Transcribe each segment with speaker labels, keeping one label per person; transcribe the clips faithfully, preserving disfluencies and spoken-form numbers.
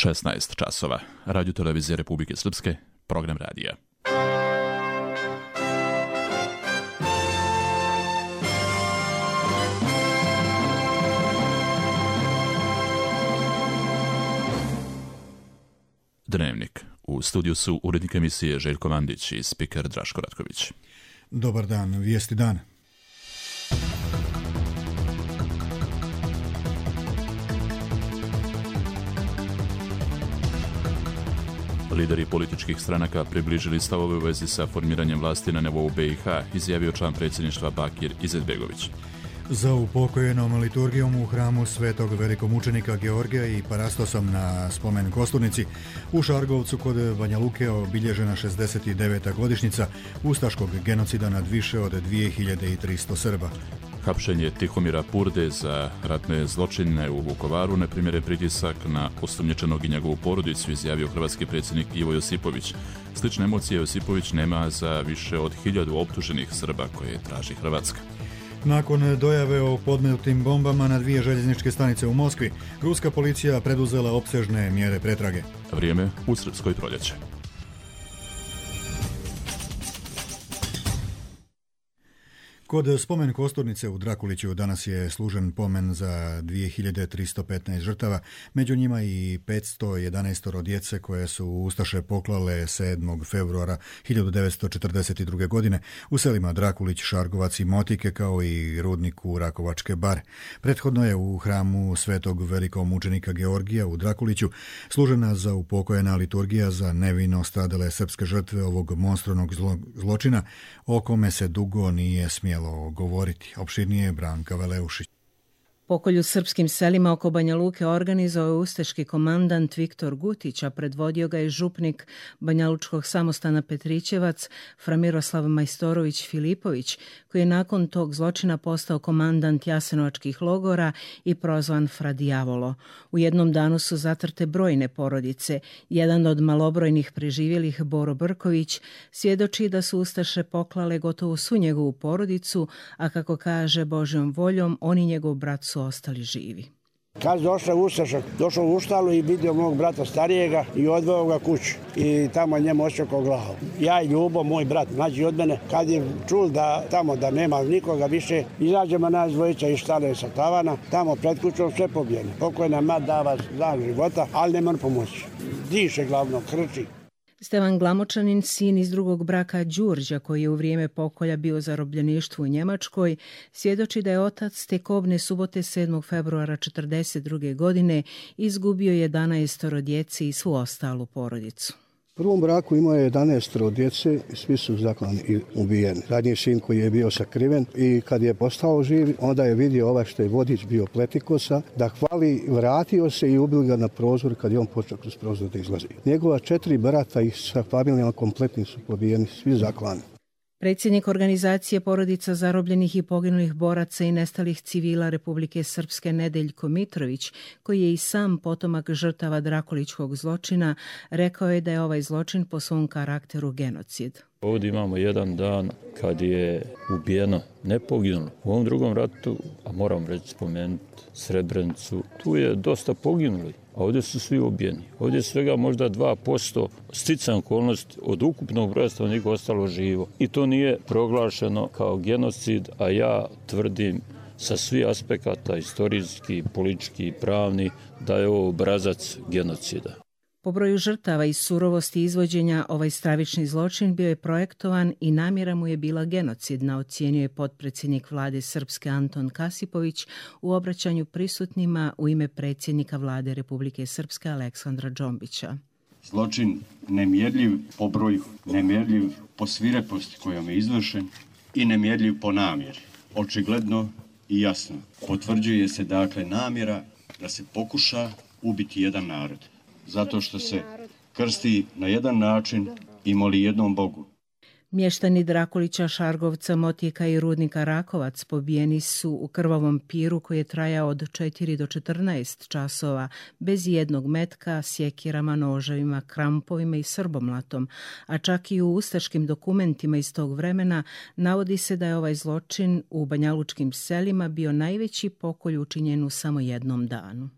Speaker 1: šesnaest časova. Radio televizije Republike Srpske, program radija. Dnevnik. U studiju su urednik emisije Željko Mandić i spiker Draško Ratković.
Speaker 2: Dobar dan, vijesti dana.
Speaker 1: Lideri političkih stranaka približili stavove u vezi sa formiranjem vlasti na nivou B i H, izjavio član predsjedništva Bakir Izetbegović.
Speaker 2: Za upokojenom liturgijom u hramu svetog velikomučenika Georgija i Parastosom na spomen Kosturnici u Šargovcu kod Banja Luke obilježena šezdeset deveta godišnjica ustaškog genocida nad više od dvije hiljade tristo Srba.
Speaker 1: Hapšenje Tihomira Purde za ratne zločine u Vukovaru neprimjeren pritisak na osumnjičenog i njegovu porodicu, izjavio hrvatski predsjednik Ivo Josipović. Slične emocije Josipović nema za više od hiljadu optuženih Srba koje traži Hrvatska.
Speaker 2: Nakon dojave o podmetnutim bombama na dvije željezničke stanice u Moskvi, ruska policija preduzela opsežne mjere pretrage.
Speaker 1: Vrijeme u Srpskoj proljeće.
Speaker 2: Kod spomen Kosturnice u Drakuliću danas je služen pomen za dvije hiljade tristo petnaest žrtava, među njima i petsto jedanaest djece koje su ustaše poklale sedmog februara hiljadu devetsto četrdeset druge. godine u selima Drakulić, Šargovac i Motike, kao i rudniku Rakovačke bare. Prethodno je u hramu svetog velikomučenika Georgija u Drakuliću služena za upokojena liturgija za nevino stradale srpske žrtve ovog monstruoznog zlo, zločina, o kome se dugo nije smjelo govoriti. Opširnije Branka Veleušić.
Speaker 3: Pokolj u srpskim selima oko Banja Luke organizovao je ustaški komandant Viktor Gutić, a predvodio ga je župnik Banjalučkog samostana Petrićevac Fra Miroslav Majstorović Filipović, koji je nakon tog zločina postao komandant jasenovačkih logora i prozvan Fra Dijavolo. U jednom danu su zatrte brojne porodice. Jedan od malobrojnih preživjelih, Boro Brković, svjedoči da su ustaše poklale gotovo svu njegovu porodicu, a kako kaže Božjom voljom, on i njegov brat su ostali živi.
Speaker 4: Kad došao ustaša, došao u štalu i vidio mog brata starijega i odveo ga kući. I tamo njemu očekao glavu. Ja i Ljubo, moj brat, mlađi od mene, kad je čul da tamo da nema nikoga više, izađemo nas dvojica iz štale sa tavana, tamo pred kućom sve pobijeno. Pokojna mat dava dan života, ali ne mora pomoći. Diše glavno, krči.
Speaker 3: Stevan Glamočanin, sin iz drugog braka Đurđa, koji je u vrijeme pokolja bio zarobljeništvu u Njemačkoj, svjedoči da je otac te kobne subote sedmog februara četrdeset druge. godine izgubio jedanaest djece i svu ostalu porodicu.
Speaker 5: U prvom braku imao je jedanaest djece i svi su zaklani i ubijeni. Zadnji sin koji je bio sakriven i kad je postao živ, onda je vidio ovaj što je vodič bio Pletikosa, da hvali, vratio se i ubili ga na prozor kad je on počeo kroz prozor da izlazi. Njegova četiri brata i sa familijama kompletni su pobijeni, svi zaklani.
Speaker 3: Predsjednik organizacije porodica zarobljenih i poginulih boraca i nestalih civila Republike Srpske Nedeljko Mitrović, koji je i sam potomak žrtava Drakulićkog zločina, rekao je da je ovaj zločin po svom karakteru genocid.
Speaker 6: Ovdje imamo jedan dan kad je ubijeno, ne poginulo. U ovom drugom ratu, a moram reći spomenuti Srebrenicu, tu je dosta poginuli, a ovdje su svi ubijeni. Ovdje je svega možda dva posto sticaja okolnosti od ukupnog broja stanovnika ostalo živo. I to nije proglašeno kao genocid, a ja tvrdim sa svih aspekata, istorijski, politički, pravni, da je ovo obrazac genocida.
Speaker 3: Po broju žrtava i surovosti izvođenja, ovaj stravični zločin bio je projektovan i namjera mu je bila genocidna, ocijenio je potpredsjednik vlade Srpske Anton Kasipović u obraćanju prisutnima u ime predsjednika vlade Republike Srpske Aleksandra Džombića.
Speaker 7: Zločin nemjerljiv po broju, nemjerljiv po svireposti kojom je izvršen i nemjerljiv po namjeri. Očigledno i jasno potvrđuje se dakle namjera da se pokuša ubiti jedan narod. Zato što se krsti na jedan način i moli jednom Bogu.
Speaker 3: Mještani Drakulića, Šargovca, Motika i rudnika Rakovac pobijeni su u krvavom piru koji je trajao od četiri do četrnaest časova, bez jednog metka, sjekirama, noževima, krampovima i srbomlatom, a čak i u ustaškim dokumentima iz tog vremena navodi se da je ovaj zločin u banjalučkim selima bio najveći pokolj učinjen u samo jednom danu.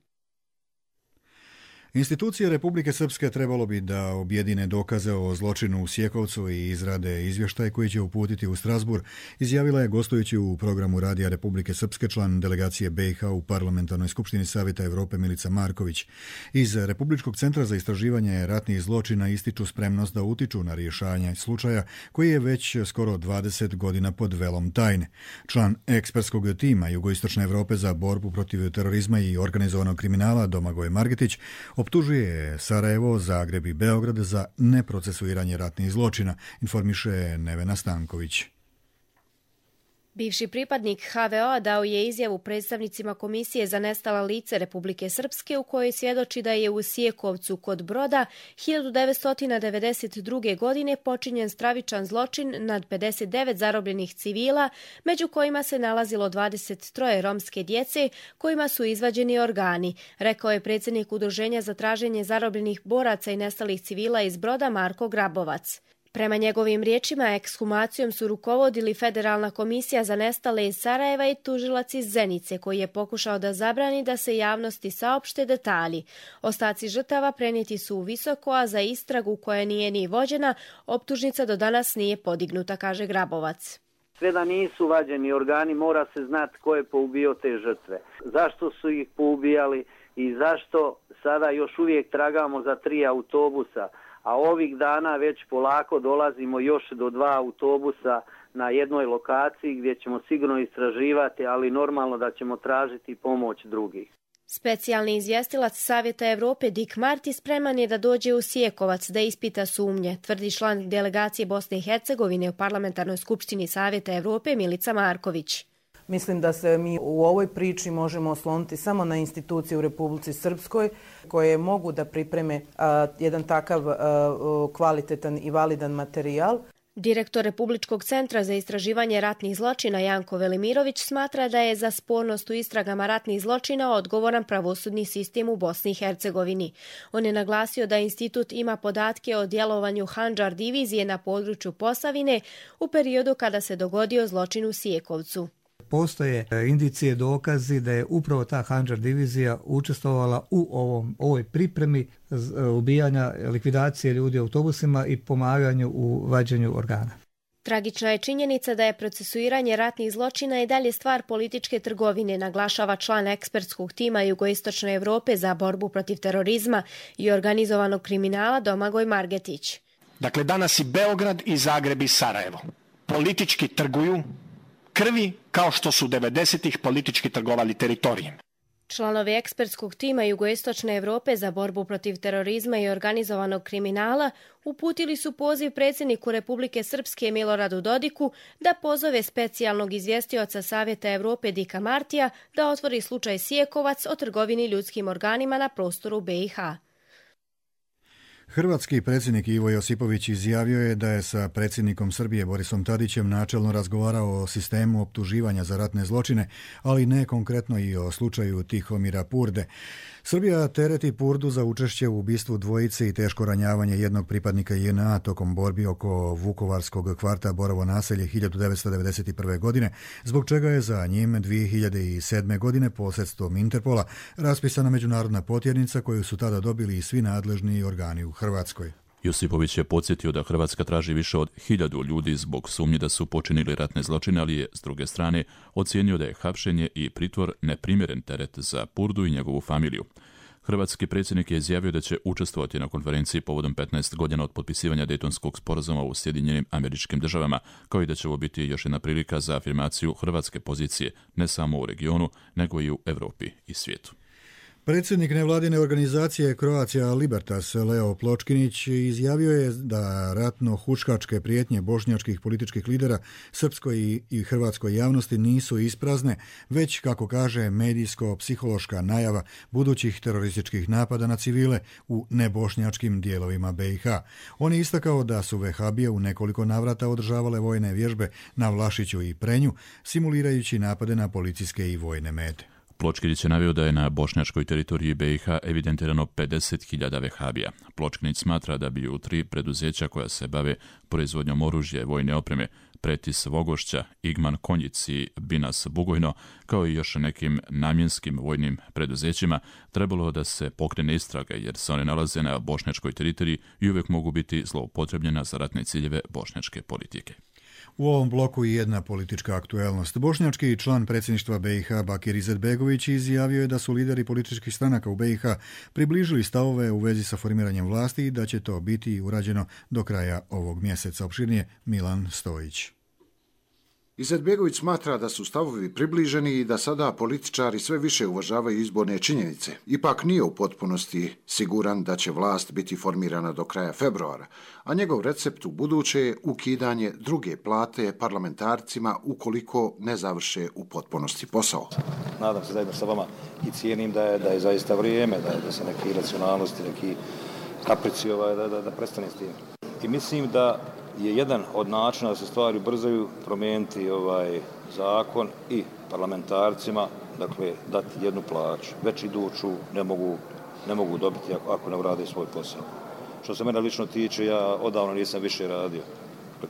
Speaker 2: Institucije Republike Srpske trebalo bi da objedine dokaze o zločinu u Sjekovcu i izrade izvještaj koji će uputiti u Strasbourg, izjavila je gostujući u programu Radija Republike Srpske član delegacije B i H u Parlamentarnoj skupštini Savjeta Europe Milica Marković. Iz Republičkog centra za istraživanje ratnih zločina ističu spremnost da utiču na rješavanje slučaja koji je već skoro dvadeset godina pod velom tajne. Član ekspertskog tima Jugoistočne Europe za borbu protiv terorizma i organizovanog kriminala Domagoj Margetić optužuje Sarajevo, Zagreb i Beograd za neprocesuiranje ratnih zločina, informiše Nevena Stanković.
Speaker 8: Bivši pripadnik H V O dao je izjavu predstavnicima Komisije za nestala lice Republike Srpske u kojoj svjedoči da je u Sjekovcu kod Broda hiljadu devetsto devedeset druge. godine počinjen stravičan zločin nad pedeset devet zarobljenih civila, među kojima se nalazilo dvadeset tri romske djece kojima su izvađeni organi, rekao je predsjednik Udruženja za traženje zarobljenih boraca i nestalih civila iz Broda Marko Grabovac. Prema njegovim riječima, ekshumacijom su rukovodili Federalna komisija za nestale iz Sarajeva i tužilac iz Zenice, koji je pokušao da zabrani da se javnosti saopšte detalji. Ostaci žrtava prenijeti su u Visoko, a za istragu koja nije ni vođena, optužnica do danas nije podignuta, kaže Grabovac.
Speaker 9: Sve da nisu vađeni organi, mora se znati ko je poubio te žrtve. Zašto su ih poubijali i zašto sada još uvijek tragamo za tri autobusa, a ovih dana već polako dolazimo još do dva autobusa na jednoj lokaciji gdje ćemo sigurno istraživati, ali normalno da ćemo tražiti pomoć drugih.
Speaker 8: Specijalni izvjestilac Savjeta Europe Dick Marty spreman je da dođe u Sjekovac da ispita sumnje, tvrdi član delegacije Bosne i Hercegovine u Parlamentarnoj skupštini Savjeta Europe Milica Marković.
Speaker 10: Mislim da se mi u ovoj priči možemo osloniti samo na institucije u Republici Srpskoj koje mogu da pripreme a, jedan takav a, kvalitetan i validan materijal.
Speaker 8: Direktor Republičkog centra za istraživanje ratnih zločina Janko Velimirović smatra da je za spornost u istragama ratnih zločina odgovoran pravosudni sistem u Bosni i Hercegovini. On je naglasio da institut ima podatke o djelovanju Handžar divizije na području Posavine u periodu kada se dogodio zločin u Sjekovcu.
Speaker 11: Postoje indicije, dokazi da je upravo ta Handžar divizija učestvovala u ovom, ovoj pripremi ubijanja, likvidacije ljudi u autobusima i pomaganju u vađenju organa.
Speaker 8: Tragična je činjenica da je procesuiranje ratnih zločina i dalje stvar političke trgovine, naglašava član ekspertskog tima Jugoistočne Europe za borbu protiv terorizma i organizovanog kriminala Domagoj Margetić.
Speaker 12: Dakle, danas i Beograd i Zagreb i Sarajevo politički trguju krvi kao što su devedesetih politički trgovali teritorijem.
Speaker 8: Članovi ekspertskog tima Jugoistočne Europe za borbu protiv terorizma i organizovanog kriminala uputili su poziv predsjedniku Republike Srpske Miloradu Dodiku da pozove specijalnog izvjestioca Savjeta Europe Dika Martija da otvori slučaj Sjekovac o trgovini ljudskim organima na prostoru B i H.
Speaker 2: Hrvatski predsjednik Ivo Josipović izjavio je da je sa predsjednikom Srbije Borisom Tadićem načelno razgovarao o sistemu optuživanja za ratne zločine, ali ne konkretno i o slučaju Tihomira Purde. Srbija tereti Purdu za učešće u ubistvu dvojice i teško ranjavanje jednog pripadnika J N A tokom borbi oko vukovarskog kvarta Borovo naselje hiljadu devetsto devedeset prve. godine, zbog čega je za njim dvije hiljade sedme. godine posredstvom Interpola raspisana međunarodna potjernica koju su tada dobili i svi nadležni organi u Hrvatskoj.
Speaker 1: Josipović je podsjetio da Hrvatska traži više od hiljadu ljudi zbog sumnje da su počinili ratne zločine, ali je, s druge strane, ocijenio da je hapšenje i pritvor neprimjeren teret za Purdu i njegovu familiju. Hrvatski predsjednik je izjavio da će učestvovati na konferenciji povodom petnaest godina od potpisivanja Dejtonskog sporazuma u Sjedinjenim Američkim Državama, kao i da će ovo biti još jedna prilika za afirmaciju hrvatske pozicije ne samo u regionu, nego i u Europi i svijetu.
Speaker 2: Predsjednik nevladine organizacije Croatia Libertas Leo Pločkinić izjavio je da ratno-huškačke prijetnje bošnjačkih političkih lidera srpskoj i hrvatskoj javnosti nisu isprazne, već, kako kaže, medijsko-psihološka najava budućih terorističkih napada na civile u nebošnjačkim dijelovima B i H. On je istakao da su vehabije u nekoliko navrata održavale vojne vježbe na Vlašiću i Prenju, simulirajući napade na policijske i vojne mete.
Speaker 1: Pločkinić je naveo da je na bošnjačkoj teritoriji B i H evidentirano pedeset hiljada vehabija. Pločkinić smatra da bi u tri preduzeća koja se bave proizvodnjom oružja i vojne opreme Pretis Vogošća, Igman Konjic i Binas Bugojno, kao i još nekim namjenskim vojnim preduzećima, trebalo da se pokrene istraga jer se one nalaze na bošnjačkoj teritoriji i uvijek mogu biti zloupotrebljena za ratne ciljeve bošnjačke politike.
Speaker 2: U ovom bloku i jedna politička aktuelnost. Bošnjački član predsjedništva B i H Bakir Izetbegović izjavio je da su lideri političkih stranaka u B i H približili stavove u vezi sa formiranjem vlasti i da će to biti urađeno do kraja ovog mjeseca. Opširnije Milan Stojić.
Speaker 13: Izetbegović smatra da su stavovi približeni i da sada političari sve više uvažavaju izborne činjenice. Ipak nije u potpunosti siguran da će vlast biti formirana do kraja februara, a njegov recept u buduće je ukidanje druge plate parlamentarcima ukoliko ne završe u potpunosti posao.
Speaker 14: Nadam se zajedno sa vama i cijenim da je, da je zaista vrijeme, da, da se neki racionalnosti, neki kaprici ovaj, da, da, da prestane s tim. I mislim da je jedan od načina da se stvari ubrzaju promijeniti ovaj zakon i parlamentarcima, dakle, dati jednu plaću. Već iduću ne mogu, ne mogu dobiti ako, ako ne urade svoj posao. Što se mene lično tiče, ja odavno nisam više radio.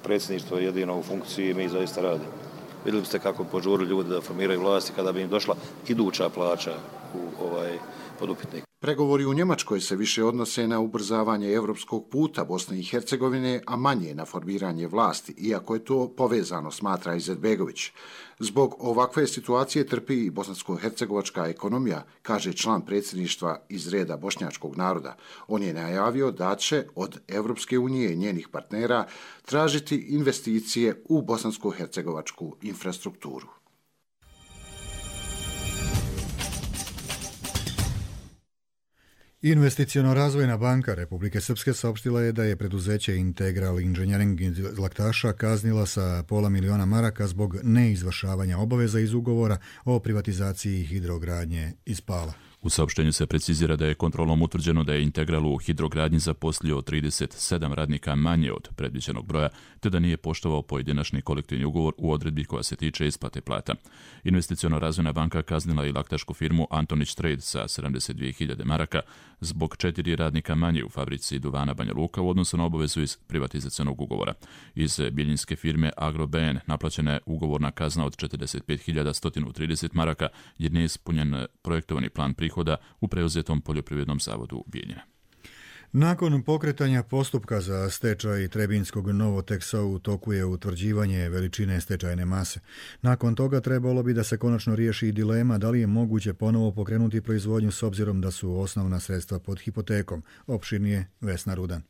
Speaker 14: Predsjedništvo je jedino u funkciji i mi zaista radimo. Vidjeli biste kako požurili ljudi da formiraju vlasti kada bi im došla iduća plaća u ovaj podupitnik.
Speaker 13: Pregovori u Njemačkoj se više odnose na ubrzavanje europskog puta Bosne i Hercegovine, a manje na formiranje vlasti, iako je to povezano, smatra Izetbegović. Zbog ovakve situacije trpi i bosansko-hercegovačka ekonomija, kaže član predsjedništva iz reda bošnjačkog naroda. On je najavio da će od Evropske unije i njenih partnera tražiti investicije u bosansko-hercegovačku infrastrukturu.
Speaker 2: Investiciono-razvojna banka Republike Srpske saopštila je da je preduzeće Integral Engineering iz Laktaša kaznila sa pola miliona maraka zbog neizvršavanja obaveza iz ugovora o privatizaciji hidrogradnje iz Pala.
Speaker 1: U saopštenju se precizira da je kontrolom utvrđeno da je Integral u hidrogradnji zaposlio trideset sedam radnika manje od predviđenog broja, te da nije poštovao pojedinačni kolektivni ugovor u odredbi koja se tiče isplate plata. Investiciono-razvojna banka kaznila i laktašku firmu Antonić Trade sa sedamdeset dvije hiljade maraka zbog četiri radnika manje u fabrici duvana Banja Luka u odnosu na obavezu iz privatizacionog ugovora. Iz bijeljinske firme AgroBN naplaćena je ugovorna kazna od četrdeset pet hiljada sto trideset maraka jer nije ispunjen projektovani plan prihoda u preuzetom poljoprivrednom zavodu Bijeljina.
Speaker 2: Nakon pokretanja postupka za stečaj Trebinskog Novoteksa u toku je utvrđivanje veličine stečajne mase. Nakon toga trebalo bi da se konačno riješi dilema da li je moguće ponovo pokrenuti proizvodnju s obzirom da su osnovna sredstva pod hipotekom. Opširnije Vesna Rudan.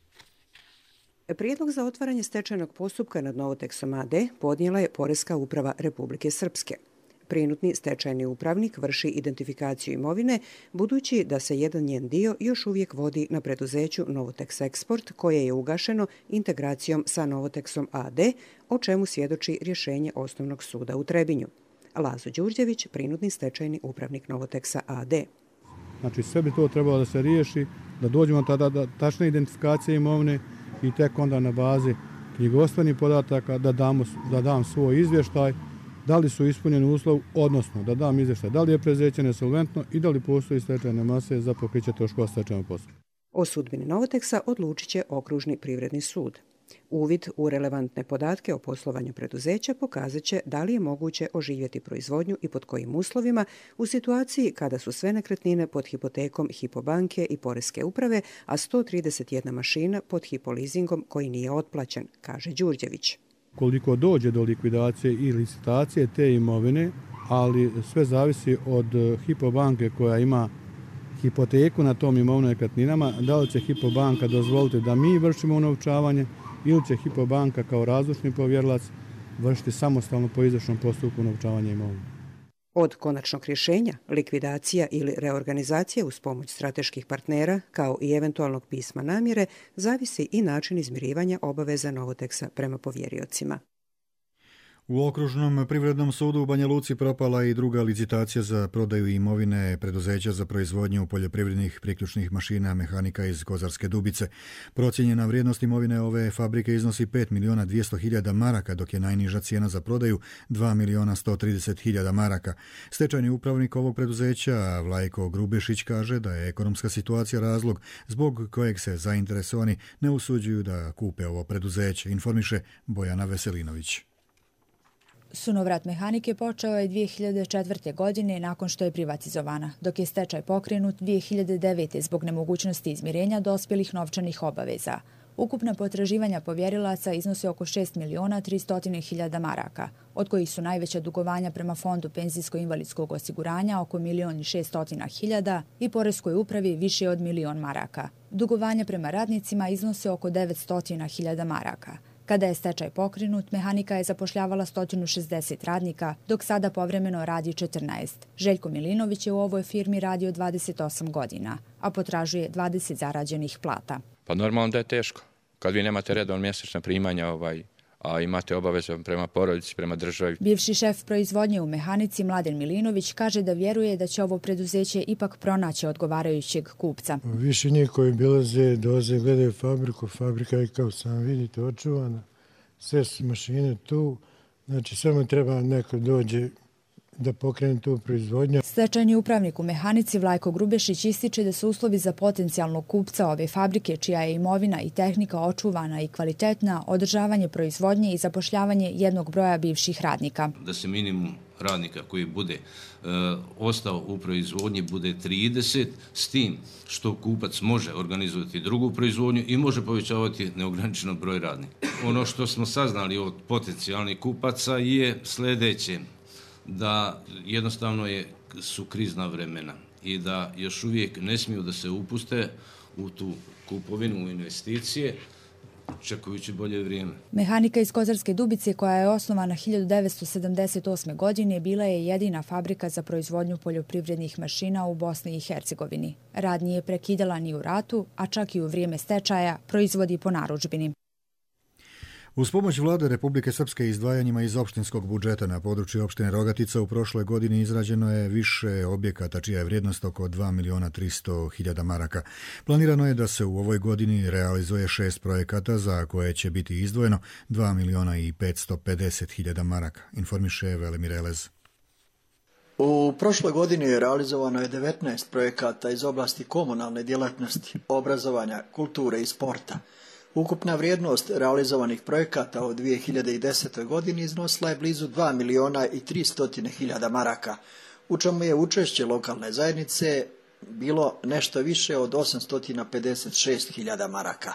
Speaker 15: Prijedlog za otvaranje stečajnog postupka nad Novoteksom a d podnijela je Poreska uprava Republike Srpske. Prinutni stečajni upravnik vrši identifikaciju imovine, budući da se jedan njen dio još uvijek vodi na preduzeću Novotex Export, koje je ugašeno integracijom sa Novoteksom a d, o čemu svjedoči rješenje Osnovnog suda u Trebinju. Lazo Đurđević, prinutni stečajni upravnik Novoteksa a d.
Speaker 16: Znači sve bi to trebalo da se riješi, da dođemo tada do tačne identifikacije imovine i tek onda na bazi knjigovodstvenih podataka da, damo, da dam svoj izvještaj da li su ispunjeni uslov, odnosno da dam izvještaj da li je preduzeće nesolventno i da li postoji stečajne mase za pokriće troškova stečajnog postupka.
Speaker 15: O sudbini Novoteksa odlučit će Okružni privredni sud. Uvid u relevantne podatke o poslovanju preduzeća pokazat će da li je moguće oživjeti proizvodnju i pod kojim uslovima u situaciji kada su sve nekretnine pod hipotekom Hypo banke i Poreske uprave, a sto trideset jedna mašina pod Hypo leasingom koji nije otplaćen, kaže Đurđević.
Speaker 16: Koliko dođe do likvidacije i licitacije te imovine, ali sve zavisi od Hypo banke koja ima hipoteku na tom imovnom nekretninama, da li će Hypo banka dozvoliti da mi vršimo unovčavanje ili će Hypo banka kao razlučni povjerilac vršiti samostalno po izvršnom postupku unovčavanja imovine.
Speaker 15: Od konačnog rješenja, likvidacija ili reorganizacija uz pomoć strateških partnera, kao i eventualnog pisma namjere, zavisi i način izmirivanja obaveza Novoteksa prema povjeriocima.
Speaker 2: U Okružnom privrednom sudu u Banja Luci propala i druga licitacija za prodaju imovine preduzeća za proizvodnju poljoprivrednih priključnih mašina mehanika iz Kozarske Dubice. Procijenjena vrijednost imovine ove fabrike iznosi pet miliona dvjesto hiljada maraka, dok je najniža cijena za prodaju dva miliona sto trideset hiljada maraka. Stečajni upravnik ovog preduzeća, Vlajko Grubešić, kaže da je ekonomska situacija razlog zbog kojeg se zainteresovani ne usuđuju da kupe ovo preduzeće, informiše Bojana Veselinović.
Speaker 17: Sunovrat mehanike počeo je dvije hiljade četvrte. godine nakon što je privatizovana, dok je stečaj pokrenut dvije hiljade devete. zbog nemogućnosti izmirenja dospjelih novčanih obaveza. Ukupna potraživanja povjerilaca iznose oko šest miliona tristo hiljada maraka, od kojih su najveća dugovanja prema Fondu penzijsko-invalidskog osiguranja oko milion i šesto hiljada i Poreskoj upravi više od milion maraka. Dugovanja prema radnicima iznose oko devetsto hiljada maraka. Kada je stečaj pokrenut, mehanika je zapošljavala sto šezdeset radnika, dok sada povremeno radi četrnaest. Željko Milinović je u ovoj firmi radio dvadeset osam godina, a potražuje dvadeset zarađenih plata.
Speaker 18: Pa normalno da je teško. Kad vi nemate redovno mjesečna primanja, ovaj, a imate obaveze prema porodici, prema državi.
Speaker 17: Bivši šef proizvodnje u mehanici Mladen Milinović kaže da vjeruje da će ovo preduzeće ipak pronaći odgovarajućeg kupca.
Speaker 19: Više njih koji bilaze, doze, gledaju fabriku, fabrika je kao sam vidite očuvana, sve su mašine tu, znači samo treba neko dođe da pokrene tu proizvodnju.
Speaker 17: Stečajni upravnik u mehanici Vlajko Grubešić ističe da su uslovi za potencijalnog kupca ove fabrike, čija je imovina i tehnika očuvana i kvalitetna, održavanje proizvodnje i zapošljavanje jednog broja bivših radnika.
Speaker 20: Da se minimum radnika koji bude e, ostao u proizvodnji bude trideset, s tim što kupac može organizovati drugu proizvodnju i može povećavati neograničeno broj radnika. Ono što smo saznali od potencijalnih kupaca je sljedeće, da jednostavno je, su krizna vremena i da još uvijek ne smiju da se upuste u tu kupovinu, u investicije, čekajući bolje vrijeme.
Speaker 17: Mehanika iz Kozarske Dubice, koja je osnovana hiljadu devetsto sedamdeset osme. godine, bila je jedina fabrika za proizvodnju poljoprivrednih mašina u Bosni i Hercegovini. Rad nije prekidala ni u ratu, a čak i u vrijeme stečaja proizvodi po narudžbini.
Speaker 2: Uz pomoć vlade Republike Srpske izdvajanjima iz opštinskog budžeta na području opštine Rogatica u prošloj godini izrađeno je više objekata čija je vrijednost oko dva miliona tristo hiljada maraka. Planirano je da se u ovoj godini realizuje šest projekata za koje će biti izdvojeno dva miliona i petsto pedeset hiljada maraka, informiše Velimir Elez.
Speaker 21: U prošloj godini realizovano je devetnaest projekata iz oblasti komunalne djelatnosti, obrazovanja, kulture i sporta. Ukupna vrijednost realizovanih projekata u dvije hiljade desetoj. godini iznosila je blizu dva miliona i tristo hiljada maraka, u čemu je učešće lokalne zajednice bilo nešto više od osamsto pedeset šest hiljada maraka.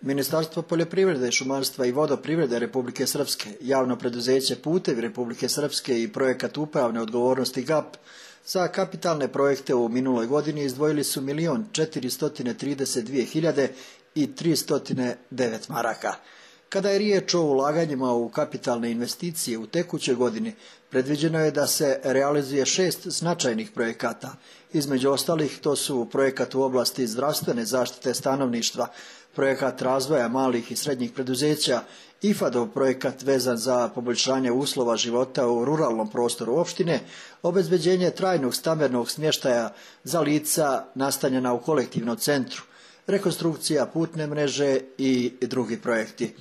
Speaker 21: Ministarstvo poljoprivrede, šumarstva i vodoprivrede Republike Srpske, javno preduzeće Putevi Republike Srpske i projekat upravne odgovornosti G A P za kapitalne projekte u minuloj godini izdvojili su milion četiristo trideset dvije hiljade i tristo devet maraka. Kada je riječ o ulaganjima u kapitalne investicije u tekućoj godini, predviđeno je da se realizuje šest značajnih projekata. Između ostalih to su projekat u oblasti zdravstvene zaštite stanovništva, projekat razvoja malih i srednjih preduzeća, I F A D-ov projekat vezan za poboljšanje uslova života u ruralnom prostoru opštine, obezbeđenje trajnog stambenog smještaja za lica nastanjena u kolektivnom centru, rekonstrukcija putne mreže i drugi projekti.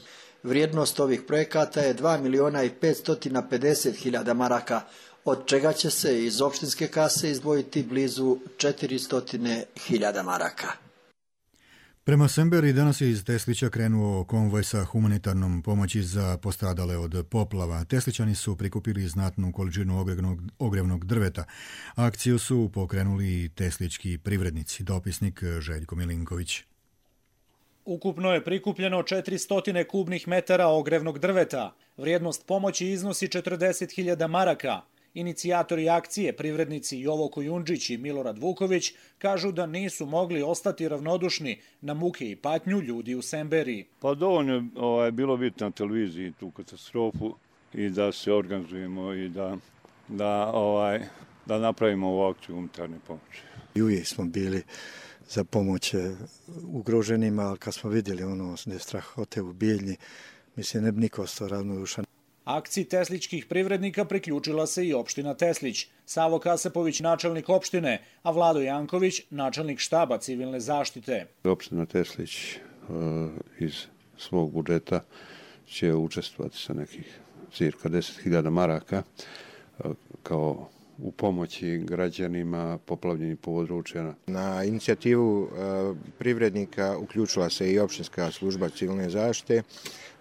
Speaker 21: Vrijednost ovih projekata je dva miliona i petsto pedeset hiljada maraka, od čega će se iz opštinske kase izdvojiti blizu četiristo hiljada maraka.
Speaker 2: Prema Semberi danas je iz Teslića krenuo konvoj sa humanitarnom pomoći za postradale od poplava. Teslićani su prikupili znatnu količinu ogrevnog, ogrevnog drveta. Akciju su pokrenuli teslički privrednici. Dopisnik Željko Milinković.
Speaker 22: Ukupno je prikupljeno četiristo kubnih metara ogrevnog drveta. Vrijednost pomoći iznosi četrdeset hiljada maraka. Inicijatori akcije, privrednici Jovo Kojundžić i Milorad Vuković, kažu da nisu mogli ostati ravnodušni na muke i patnju ljudi u Semberiji.
Speaker 23: Pa dovoljno je ovaj, bilo biti na televiziji tu katastrofu i da se organizujemo i da, da, ovaj, da napravimo ovu akciju humanitarne pomoći.
Speaker 24: I uvijek smo bili za pomoć ugroženima, ali kad smo vidjeli ono da je strahote u Bijeljni, mislim ne bi niko ostao ravnodušan.
Speaker 22: Akciji tesličkih privrednika priključila se i opština Teslić. Savo Kasapović, načelnik opštine, a Vlado Janković, načelnik štaba civilne zaštite.
Speaker 23: Opština Teslić uh, iz svog budžeta će učestvovati sa nekih cirka deset hiljada maraka uh, kao u pomoći građanima poplavljenih područja.
Speaker 25: Na inicijativu uh, privrednika uključila se i opštinska služba civilne zaštite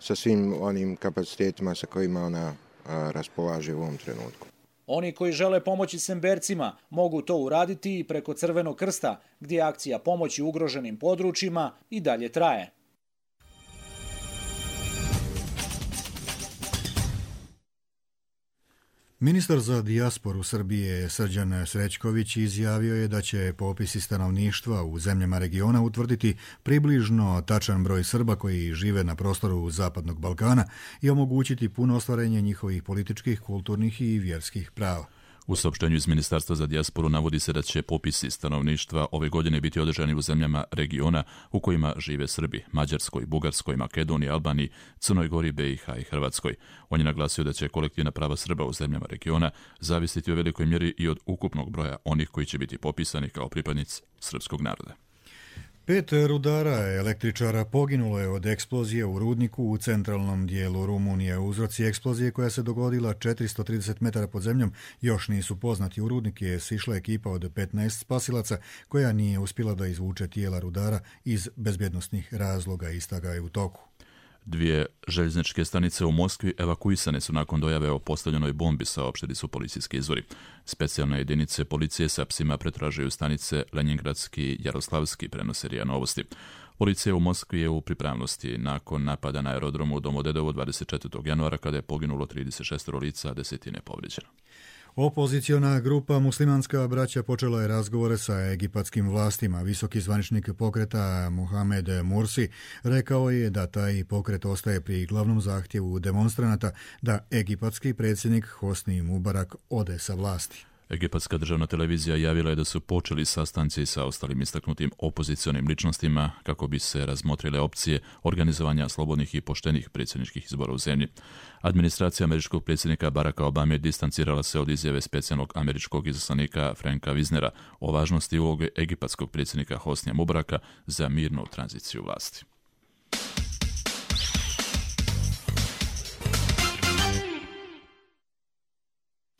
Speaker 25: sa svim onim kapacitetima sa kojima ona raspolaže u ovom trenutku.
Speaker 22: Oni koji žele pomoći Sembercima mogu to uraditi i preko Crvenog krsta, gdje akcija pomoći ugroženim područjima i dalje traje.
Speaker 2: Ministar za dijasporu Srbije Srđan Srećković izjavio je da će popisi stanovništva u zemljama regiona utvrditi približno tačan broj Srba koji žive na prostoru Zapadnog Balkana i omogućiti puno ostvarenje njihovih političkih, kulturnih i vjerskih prava.
Speaker 1: U saopštenju iz Ministarstva za dijasporu navodi se da će popisi stanovništva ove godine biti održani u zemljama regiona u kojima žive Srbi, Mađarskoj, Bugarskoj, Makedoniji, Albaniji, Crnoj Gori, B i H i Hrvatskoj. On je naglasio da će kolektivna prava Srba u zemljama regiona zavisiti u velikoj mjeri i od ukupnog broja onih koji će biti popisani kao pripadnici srpskog naroda.
Speaker 2: Pet rudara električara poginulo je od eksplozije u rudniku u centralnom dijelu Rumunije. Uzroci eksplozije koja se dogodila četiristo trideset metara pod zemljom još nisu poznati. U rudnik je sišla ekipa od petnaest spasilaca koja nije uspjela da izvuče tijela rudara iz bezbjednosnih razloga. Istraga je u toku.
Speaker 1: Dvije željezničke stanice u Moskvi evakuisane su nakon dojave o postavljenoj bombi, saopštili su policijski izvori. Specijalne jedinice policije sa psima pretražuju stanice Lenjingradski i Jaroslavski, prenose R I A Novosti. Policija u Moskvi je u pripravnosti nakon napada na aerodromu u Domodedovu dvadeset četvrtog januara kada je poginulo trideset šest lica, a desetine povrijeđeno.
Speaker 2: Opoziciona grupa Muslimanska braća počela je razgovore sa egipatskim vlastima. Visoki zvaničnik pokreta Mohamed Mursi rekao je da taj pokret ostaje pri glavnom zahtjevu demonstranata da egipatski predsjednik Hosni Mubarak ode sa vlasti.
Speaker 1: Egipatska državna televizija javila je da su počeli sastanci sa ostalim istaknutim opozicionim ličnostima kako bi se razmotrile opcije organizovanja slobodnih i poštenih predsjedničkih izbora u zemlji. Administracija američkog predsjednika Baracka Obame distancirala se od izjave specijalnog američkog izaslanika Franka Wisnera o važnosti uloge egipatskog predsjednika Hosnija Mubaraka za mirnu tranziciju vlasti.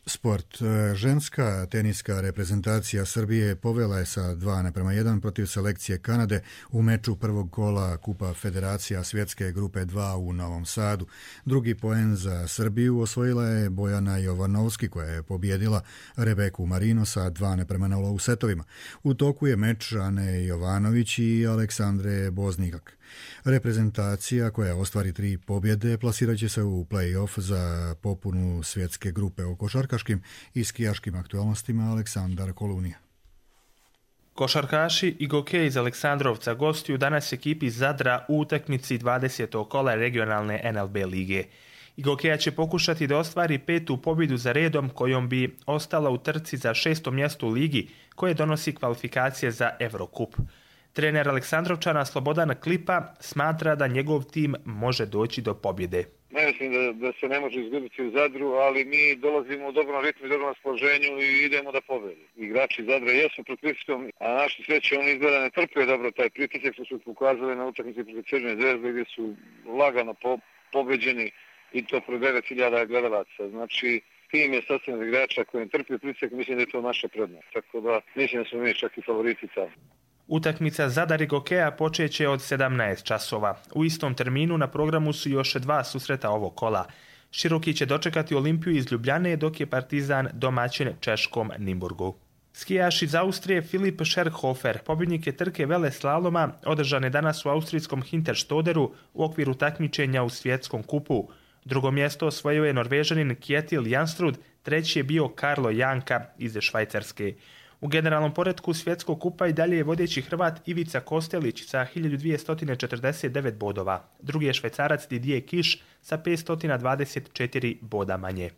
Speaker 2: Sport. Ženska teniska reprezentacija Srbije povela je sa dva naprema jedan protiv selekcije Kanade u meču prvog kola Kupa Federacija svjetske grupe dva u Novom Sadu. Drugi poen za Srbiju osvojila je Bojana Jovanovski koja je pobjedila Rebeku Marino sa dva naprema nula u setovima. U toku je meč Ane Jovanović i Aleksandre Boznikak. Reprezentacija koja ostvari tri pobjede plasirat će se u play-off za popunu svjetske grupe. O košarkaškim i skijaškim aktualnostima Aleksandar Kolunija.
Speaker 3: Košarkaši i Goke iz Aleksandrovca gostuju danas ekipi Zadra u utakmici dvadesetog kola regionalne N L B lige. Gokeja će pokušati da ostvari petu pobjedu za redom kojom bi ostala u trci za šesto mjesto u ligi koje donosi kvalifikacije za Evrokup. Trener Aleksandrovčana Slobodan Klipa smatra da njegov tim može doći do pobjede.
Speaker 4: Ne mislim da, da se ne može izgubiti u Zadru, ali mi dolazimo u dobrom ritmu i dobrom raspoloženju i idemo da pobedi. Igrači Zadra jesu pod pritiskom, a naši sreće oni izgleda ne trpe dobro taj pritisak što su pokazali na utakmici protiv Crvene Zvezde gdje su lagano po, pobeđeni i to pro devet hiljada gledalaca. Znači, tim je sastavljen igrača koji ne trpi pritisak, mislim da je to naša prednost. Tako da mislim da smo mi čak i favoriti tamo.
Speaker 3: Utakmica Zadar i Gokeja počeće od sedamnaest časova. U istom terminu na programu su još dva susreta ovog kola. Široki će dočekati Olimpiju iz Ljubljane, dok je Partizan domaćin češkom Nimburgu. Skijaš iz Austrije Filip Scherhofer, pobjednik je trke vele slaloma, održane danas u austrijskom Hinterstoderu u okviru takmičenja u svjetskom kupu. Drugo mjesto osvojio je Norvežanin Kjetil Janstrud, treći je bio Karlo Janka iz Švajcarske. U generalnom poretku svjetskog kupa i dalje je vodeći Hrvat Ivica Kostelić sa hiljadu dvjesto četrdeset devet bodova. Drugi je Švajcarac Didier Kiš sa petsto dvadeset četiri boda manje.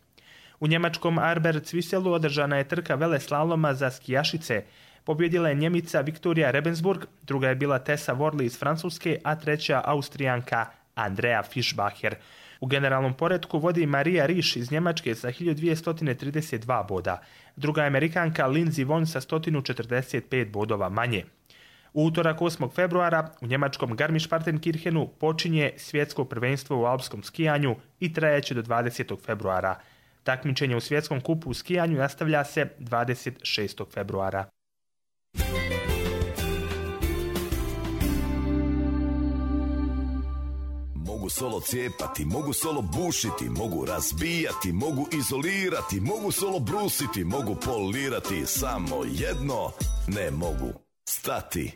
Speaker 3: U njemačkom Arber-Cviselu održana je trka vele slaloma za skijašice. Pobjedila je Njemica Viktorija Rebensburg, druga je bila Tessa Worley iz Francuske, a treća Austrijanka Andrea Fischbacher. U generalnom poretku vodi Marija Riš iz Njemačke sa hiljadu dvjesto trideset dva boda. Druga je Amerikanka Lindsey Vonn sa sto četrdeset pet bodova manje. U utorak osmog februara u njemačkom Garmisch-Partenkirchenu počinje svjetsko prvenstvo u alpskom skijanju i trajaće do dvadesetog februara. Takmičenje u svjetskom kupu u skijanju nastavlja se dvadeset šestog februara.
Speaker 5: mogu solo cijepati, mogu solo bušiti, mogu razbijati, mogu izolirati, mogu solo brusiti, mogu polirati, samo jedno ne mogu, stati.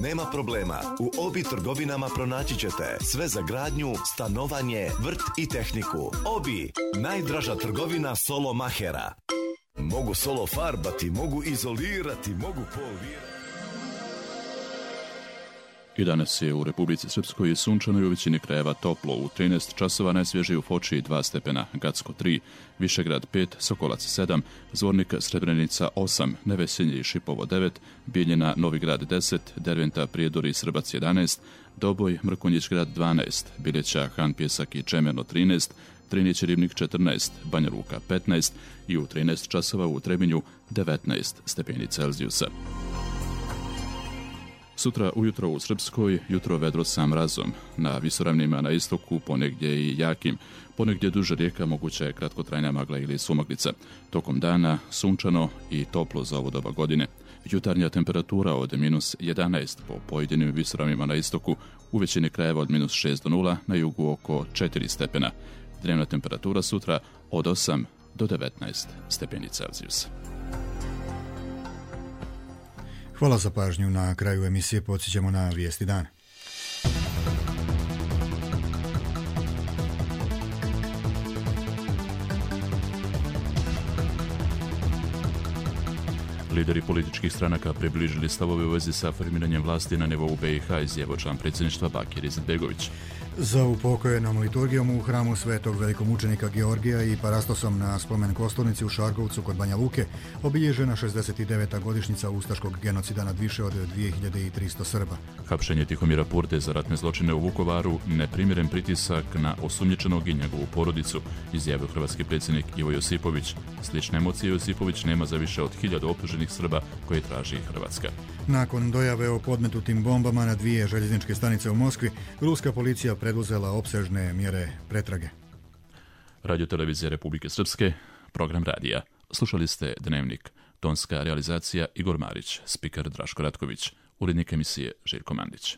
Speaker 5: Nema problema, u Obi trgovinama pronaći ćete sve za gradnju, stanovanje, vrt i tehniku. Obi, najdraža trgovina solo mahera. Mogu solo farbati, mogu izolirati, mogu polirati.
Speaker 1: I danas je u Republici Srpskoj sunčano i u većini krajeva toplo. U trinaest časova najsvježije u Foči dva stepena, Gacko tri, Višegrad pet, Sokolac sedam, Zvornik Srebrenica osam, Nevesinje i Šipovo devet, Bijeljina Novigrad deset, Derventa Prijedor i Srbac jedanaest, Doboj Mrkonjić grad dvanaest, Biljeća Han Pjesak i Čemerno trinaest, Trinić Ribnik četrnaest, Banja Luka petnaest i u trinaest časova u Trebinju devetnaest stepeni Celzijusa. Sutra ujutro u Srpskoj, jutro vedro sa mrazom. Na visoravnima na istoku ponegdje i jakim. Ponegdje duže rijeka, moguća je kratkotrajna magla ili sumaglica. Tokom dana sunčano i toplo za ovo doba godine. Jutarnja temperatura od minus jedanaest po pojedinim visoravnima na istoku, u većini krajeva od minus šest do nula, na jugu oko četiri stepena. Dnevna temperatura sutra od osam do devetnaest stepeni Celzijusa.
Speaker 2: Hvala za pažnju. Na kraju emisije podsjećamo na vijesti dana.
Speaker 1: Lideri političkih stranaka približili stavove u vezi sa formiranjem vlasti na nivou B i H, izjavio član predsjedništva Bakir Izetbegović.
Speaker 2: Za upokojenom liturgijom u hramu Svetog velikomučenika Georgija i parastosom na spomen kosturnici u Šargovcu kod Banja Luke obilježena šezdeset deveta godišnjica ustaškog genocida nad više od dvije hiljade tristo Srba.
Speaker 1: Hapšenje Tihomira Purde za ratne zločine u Vukovaru, neprimjeren pritisak na osumnjičenog i njegovu porodicu, izjavio hrvatski predsjednik Ivo Josipović. Slične emocije Josipović nema za više od hiljadu optuženih Srba koje traži Hrvatska.
Speaker 2: Nakon dojave o podmetnutim bombama na dvije željezničke stanice u Moskvi, ruska policija preduzela opsežne mjere pretrage.
Speaker 1: Radio televizija Republike Srpske, program radija. Slušali ste Dnevnik. Tonska realizacija Igor Marić, spiker Draško Ratković, urednik emisije Željko Mandić.